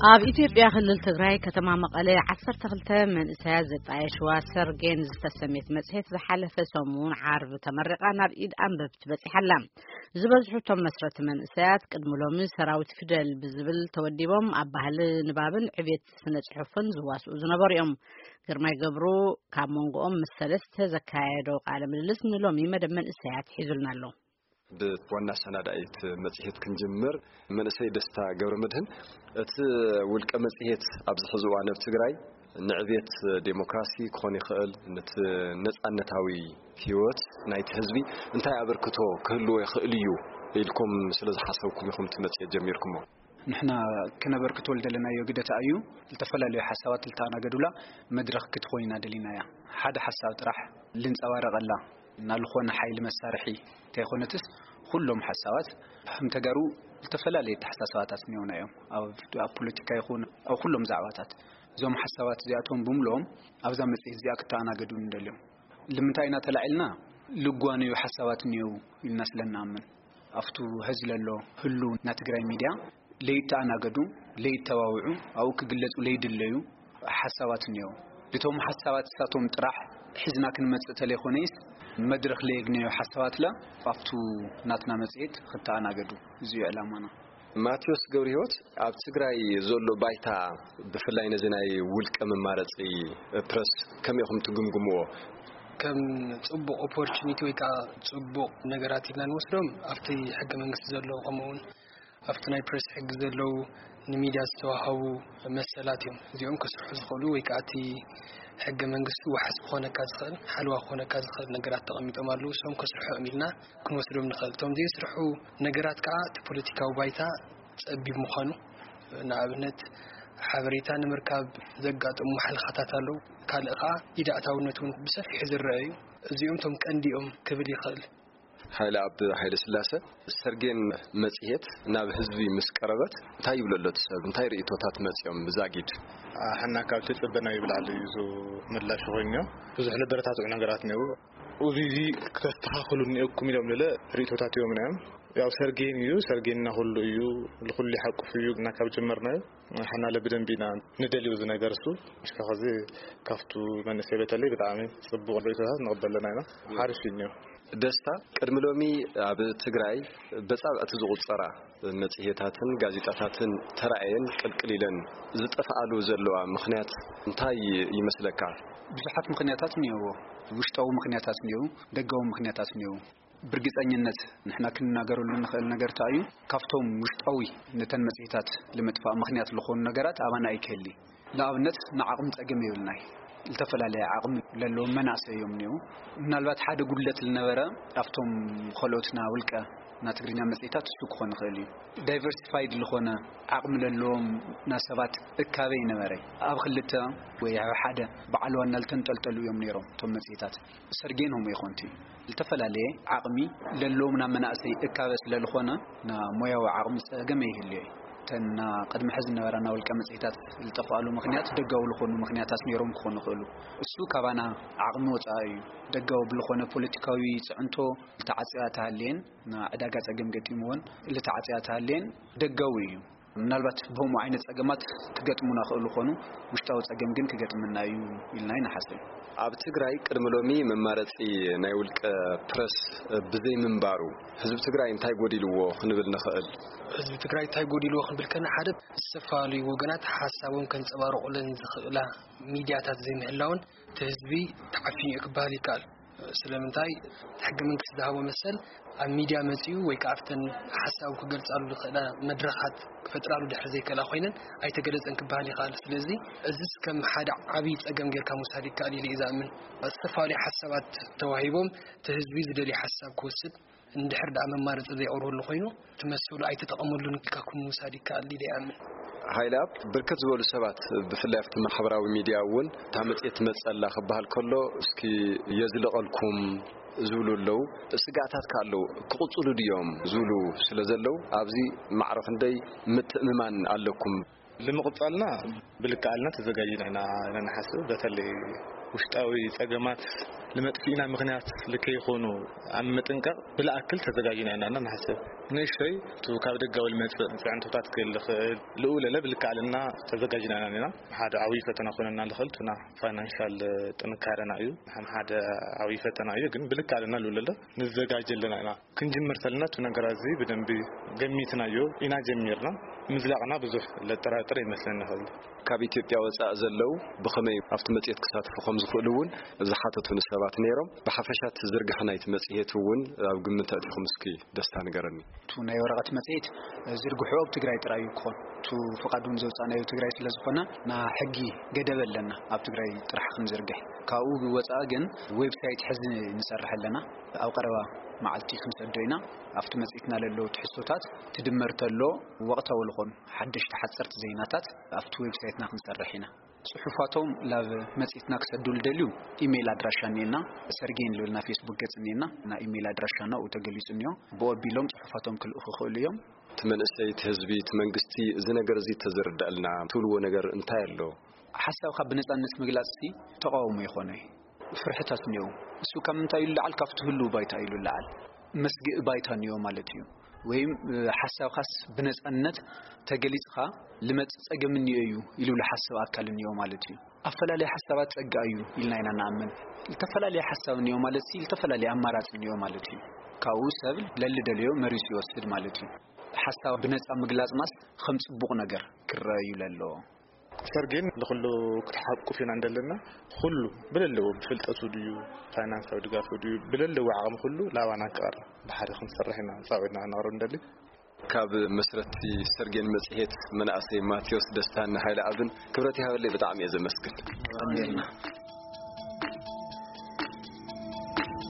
ኣብ ኢትዮጵያ ክልል ትግራይ ከተማ መቐለ ዓሰርተ ክልተ መንእሰያት ዘጣየሽዋ ሰርጌን ዝተሰሜት መጽሔት ዝሓለፈ ሰሙን ዓርቢ ተመሪቓ ናብ ኢድ ኣንበብቲ በጺሓ ኣላ። ዝበዝሑ እቶም መስረቲ መንእሰያት ቅድሚ ሎሚ ሰራዊት ፊደል ብዝብል ተወዲቦም ኣብ ባህሊ ንባብን ዕቤት ስነ ጽሑፍን ዝዋስኡ ዝነበሩ እዮም። ግርማይ ገብሩ ካብ መንጎኦም ምስ ሰለስተ ዘካየዶ ቃለ ምልልስ ንሎሚ መደብ መንእሰያት ሒዙልና ኣሎ። ብዋና ኣሰናዳኢት መጽሔት ክንጅምር። መንእሰይ ደስታ ገብረ መድህን፣ እቲ ውልቀ መጽሔት ኣብዚ ሕዚ እዋን ኣብ ትግራይ ንዕቤት ዴሞክራሲ ክኾን ይኽእል፣ ነቲ ነጻነታዊ ህይወት ናይቲ ህዝቢ እንታይ ኣበርክቶ ክህልዎ ይኽእል እዩ ኢልኩም ስለ ዝሓሰብኩም ኢኹም እቲ መጽሔት ጀሚርኩሞ? ንሕና ክነበርክቶ ዝደለናዮ ግደታ እዩ። ዝተፈላለዩ ሓሳባት ልተኣናገዱላ መድረኽ ክትኾይና ደሊናያ። ሓደ ሓሳብ ጥራሕ ልንጸባረቐላ እና ልኾነ ሓይሊ መሳርሒ እንተይኮነትስ፣ ኩሎም ሓሳባት ከም ተጋሩ ዝተፈላለየ ኣተሓሳስባታት እኒኦና እዮም። ኣብ፣ ኣብ ፖለቲካ ይኹን ኣብ ኩሎም ዛዕባታት እዞም ሓሳባት እዚኣቶም ብምልኦም ኣብዛ መጽሔት እዚኣ ክተኣናገዱ ንደልዮም። ልምንታይ ኢና ተላዒልና? ልጓነዩ ሓሳባት እኒአው ኢልና ስለ ንኣምን፣ ኣብቱ ሀዚ ለሎ ህሉ ናይ ትግራይ ሚድያ ለይተኣናገዱ፣ ለይተባብዑ፣ ኣብኡ ክግለጹ ለይድለዩ ሓሳባት እኒአው። እቶም ሓሳባት እሳቶም ጥራሕ ሒዝና ክንመጽእ ተለይኮነይስ፣ መድረኽ ለየግነዮ ሓሳባትላ ኣብቱ ናትና መጽሔት ክተኣናገዱ፣ እዚ እዩ ዕላማና። ማቴዎስ ገብረህይወት፣ ኣብ ትግራይ ዘሎ ባይታ፣ ብፍላይ ነዚ ናይ ውልቀ መማረጺ ፕረስ ከመይ ኢኹም ትግምግምዎ? ከም ጽቡቕ ኦፖርቹኒቲ ወይ ከዓ ጽቡቕ ነገራት ኢልና ንወስዶም፣ ኣብቲ ሕገ መንግስቲ ዘሎ፣ ከምኡውን ኣብቲ ናይ ፕረስ ሕጊ ዘለዉ፣ ንሚድያ ዝተዋሃቡ መሰላት እዮም። እዚኦም ከስርሑ ዝኽእሉ ወይ ከዓ እቲ ሕገ መንግስቲ ዋሕስ ክኾነካ ዝኽእል፣ ሓለዋ ክኾነካ ዝኽእል ነገራት ተቐሚጦም ኣለዉ። እሶም ከስርሑ እዮም ኢልና ክንወስዶም ንኽእል። እቶም ዘይስርሑ ነገራት ከዓ እቲ ፖለቲካዊ ባይታ ጸቢብ ምዃኑ፣ ንኣብነት ሓበሬታ ንምርካብ ዘጋጥሙ ማሕለኻታት ኣለዉ። ካልእ ከዓ ኢድ ኣእታውነት እውን ብሰፊሑ ዝረአ እዩ። እዚኦም እቶም ቀንዲ እዮም ክብል ይኽእል። ሓይለ ኣብ ሓይለ ስላሰ፣ ሰርጌን መጽሔት ናብ ህዝቢ ምስ ቀረበት እንታይ ይብሎ ኣሎ እቲ ሰብ? እንታይ ርእይቶታት መጽዮም ብዛጊድ? ኣሕና ካብ ትጽበናዮ ብላዕሊ እዩ ምላሽ ኮይኑ። ብዙሕ ለበረታትዑ ነገራት ነይሩ። እዚ እዚ ክተስተኻኽሉ እኒኦኩም ኢሎም ልለ ርእይቶታት እዮም እዮም። ያው ሰርጌን እዩ፣ ሰርጌንና ኩሉ እዩ፣ ንኩሉ ይሓቁፍ እዩ። እና ካብ ጀመርናዮ ሓና ለብደንቢ ኢና ንደልዩ እዚ ነገር እሱ። እስከ ኸዚ ካብቱ መንእሰይ በተለይ ብጣዕሚ ጽቡቕ ርእይቶታት ንቕበል ኣለና ኢና። ሓሪፍ እዩ እኒኦ። ደስታ፣ ቅድሚ ሎሚ ኣብ ትግራይ በጻብዕቲ ዝቑጸራ መጽሔታትን ጋዜጣታትን ተራእየን ቅልቅል ኢለን ዝጠፍኣሉ ዘለዋ ምኽንያት እንታይ ይመስለካ? ብዙሓት ምኽንያታት እኒኦዎ። ውሽጣዊ ምኽንያታት እኒኦ፣ ደጋዊ ምኽንያታት እኒኦ። ብርግጸኝነት ንሕና ክንናገረሉ ንኽእል ነገር እንታይ እዩ? ካብቶም ውሽጣዊ ነተን መጽሔታት ልምጥፋእ ምኽንያት ዝኾኑ ነገራት ኣባና ኣይክህሊ። ንኣብነት፣ ንዓቕሚ ጸገም የብልናይ። ዝተፈላለየ ዓቕሚ ለለዎም መናእሰይ እዮም እኒኦ። ምናልባት ሓደ ጉድለት ልነበረ ኣብቶም ኸልኦትና ውልቀ ና ትግርኛ መጽሔታት እሱ ክኾን ይኽእል እዩ። ዳይቨርሲፋይድ ዝኾነ ዓቕሚ ለለዎም ና ሰባት እካበ ይነበረ። ኣብ ክልተ ወይ ኣብ ሓደ በዓል ዋና ልተንጠልጠሉ እዮም ነይሮም እቶም መጽሔታት። ሰርጌን ሆሞ ይኾንቲ ዝተፈላለየ ዓቕሚ ለለዎም ና መናእሰይ እካበ ስለ ዝኾነ ና ሞያዊ ዓቕሚ ጸገም ይህልዮ እዩ። እተን ና ቅድሚ ሕዚ ዝነበራ ና ውልቀ መጽሔታት ዝጠፍኣሉ ምኽንያት ደጋዊ ዝኾኑ ምኽንያታት ነይሮም ክኾኑ ይኽእሉ። እሱ ካባና ዓቕሚ ወጻኢ እዩ። ደጋዊ ብልኾነ ፖለቲካዊ ጽዕንቶ ልተዓጽያ ተሃልየን፣ ና ዕዳጋ ጸገም ገጢምዎን ልተዓጽያ ተሃልየን ደጋዊ እዩ። ምናልባት ብኸምኡ ዓይነት ጸገማት ክገጥሙና ክእሉ ኾኑ፣ ውሽጣዊ ጸገም ግን ክገጥመና እዩ ኢልና ይንሓስብ። ኣብ ትግራይ ቅድሚ ሎሚ መማረጺ ናይ ውልቀ ፕረስ ብዘይ ምንባሩ፣ ህዝቢ ትግራይ እንታይ ጎዲልዎ ክንብል ንኽእል? ህዝቢ ትግራይ እንታይ ጎዲልዎ ክንብል ከና፣ ሓደ፣ ዝተፈላለዩ ወገናት ሓሳቦም ከንጸባርቑለን ዝኽእላ ሚድያታት ዘይምህላውን፣ እቲ ህዝቢ ተዓፊኑ እዩ ክበሃል ይከኣል። ስለምንታይ? እቲ ሕገ መንግስቲ ዝሃቦ መሰል ኣብ ሚድያ መጺኡ ወይ ከዓ ኣብተን ሓሳቡ ክገልጻሉ ዝኽእላ መድረኻት ክፈጥራሉ ድሕሪ ዘይከላ ኮይነን ኣይተገለጸን ክበሃል ይኽእል። ስለዚ እዚስ ከም ሓደ ዓብዪ ጸገም ጌርካ ምውሳድ ይከኣል ኢለ እየ ዝኣምን። ዝተፈላለዩ ሓሳባት ተዋሂቦም እቲ ህዝቢ ዝደልዮ ሓሳብ ክወስድ እንድሕር ደኣ መማረጺ ዘይቕርበሉ ኮይኑ፣ እቲ መሰሉ ኣይተጠቐመሉን ኢልካ ክምውሳድ ይከኣል ኢለ ይኣምን። ሃይለ ኣብ ብርክት ዝበሉ ሰባት ብፍላይ ኣብቲ ማሕበራዊ ሚድያ እውን እታ መጽሔት ትመጸላ ክበሃል ከሎ፣ እስኪ የዝልቐልኩም ዝብሉ ኣለዉ። ስጋኣታት ከ ኣለዉ፣ ክቕጽሉ ድዮም ዝብሉ ስለ ዘለዉ፣ ኣብዚ ማዕረ ክንደይ ምትእምማን ኣለኩም? ንምቕጻልና ብልክዓልና ተዘጋጅና ኢና፣ ኢና ንሓስብ። በተለይ ውሽጣዊ ጸገማት ንመጥፊእና ምኽንያት ልከይኾኑ ኣብ ምጥንቃቕ ብልኣክል ተዘጋጅና ኢና ንሓስብ። ንእሽተይ እቲ ካብ ደጋዊ ልመጽእ ጽዕንቶታት ክህል ይኽእል። ልኡ ለለ ብልክዕ ኣለና ተዘጋጅና ኢና። ሓደ ዓብዪ ፈተና ኮነና ልኽእል ቱና ፋይናንሻል ጥንካረና እዩ። ሓደ ዓብዪ ፈተና እዩ፣ ግን ብልክዕ ኣለና ልኡ ለለ ንዘጋጀ ኣለና ኢና። ክንጅምር ተለና እቲ ነገራት እዚ ብደንቢ ገሚትናዮ ኢና ጀሚርና። ምዝላቕና ብዙሕ ለጠራጥር ይመስለኒ ይኽእል። ካብ ኢትዮጵያ ወጻእ ዘለዉ ብኸመይ ኣብቲ መጽሔት ክሳተፉ ከም ዝኽእሉ እውን ዝሓተቱኒ ሰባት ነይሮም። ብሓፈሻ እቲ ዝርግሐ ናይቲ መጽሔት እውን ኣብ ግምት ኣእቲኹም እስኪ ደስታ ንገረኒ። እቲ ናይ ወረቐት መጽሔት ዝርግሑ ኣብ ትግራይ ጥራይ እዩ ክኾን። እቲ ፍቓድ እውን ዘውጻእናዮ ትግራይ ስለ ዝኾነ፣ ና ሕጊ ገደብ ኣለና ኣብ ትግራይ ጥራሕ ክንዝርግሕ። ካብኡ ወጻኢ ግን ዌብሳይት ሕዚ ንሰርሕ ኣለና። ኣብ ቀረባ መዓልቲ ክንሰዶ ኢና። ኣብቲ መጽኢትና ለለዉ ትሕዝቶታት ትድመር ተሎ ወቕታዊ ዝኾኑ ሓደሽቲ ሓጸርቲ ዜናታት ኣብቲ ዌብሳይትና ክንሰርሕ ኢና። ጽሑፋቶም ላብ መጽኢትና ክሰዱ ልደልዩ ኢሜይል ኣድራሻ እኒኤና፣ ሰርጌን ልብልና ፌስቡክ ገጽ እኒኤና፣ ና ኢሜይል ኣድራሻና ኡ ተገሊጹ እኒኦ። ብኡ ኣቢሎም ጽሑፋቶም ክልእኹ ይኽእሉ እዮም። እቲ መንእሰይ፣ እቲ ህዝቢ፣ እቲ መንግስቲ እዚ ነገር እዚ ተዝርዳእልና ትብልዎ ነገር እንታይ ኣሎ? ሓሳብካ ብነጻነት ምግላጽ ሲ ተቃውሞ ይኾነ። ፍርሕታት እኒኦ። እሱ ካብ ምንታይ እዩ ልዓል? ካብቲ ህልው ባይታ እዩ ልዓል። መስግእ ባይታ እኒኦ ማለት እዩ። ወይም፣ እ፣ ሓሳብካስ ብነጻነት ተገሊጽካ ልመጽእ ጸገም እኒኦ እዩ ኢሉ ልሓስብ ኣካል እኒኦ ማለት እዩ። ኣፈላለየ ሓሳባት ጸጋ እዩ ኢልና ኢና ንኣምን። ዝተፈላለየ ሓሳብ እኒኦ ማለት ሲ ዝተፈላለየ ኣማራጺ እኒኦ ማለት እዩ። ካብኡ ሰብ ለልደልዮ መሪጹ ይወስድ ማለት እዩ። ሓሳብ ብነጻ ምግላጽናስ ከም ጽቡቕ ነገር ክረአ እዩ ለለዎ። ሰርጌን ንኹሉ ክትሓቁፍ ኢና እንደለና፣ ኩሉ ብለለዎ ብፍልጠቱ ድዩ፣ ፋይናንሳዊ ድጋፉ ድዩ፣ ብለለዎ ዓቕሚ ኩሉ ላባና ክቐርብ ብሓደ ክንሰርሕ ኢና ጻዊዕና ክነቕርብ እንደሊ። ካብ መስረቲ ሰርጌን መጽሔት መናእሰይ ማቴዎስ ደስታን ሃይለ ኣብን ክብረት ይሃበለይ፣ ብጣዕሚ እየ ዘመስግን።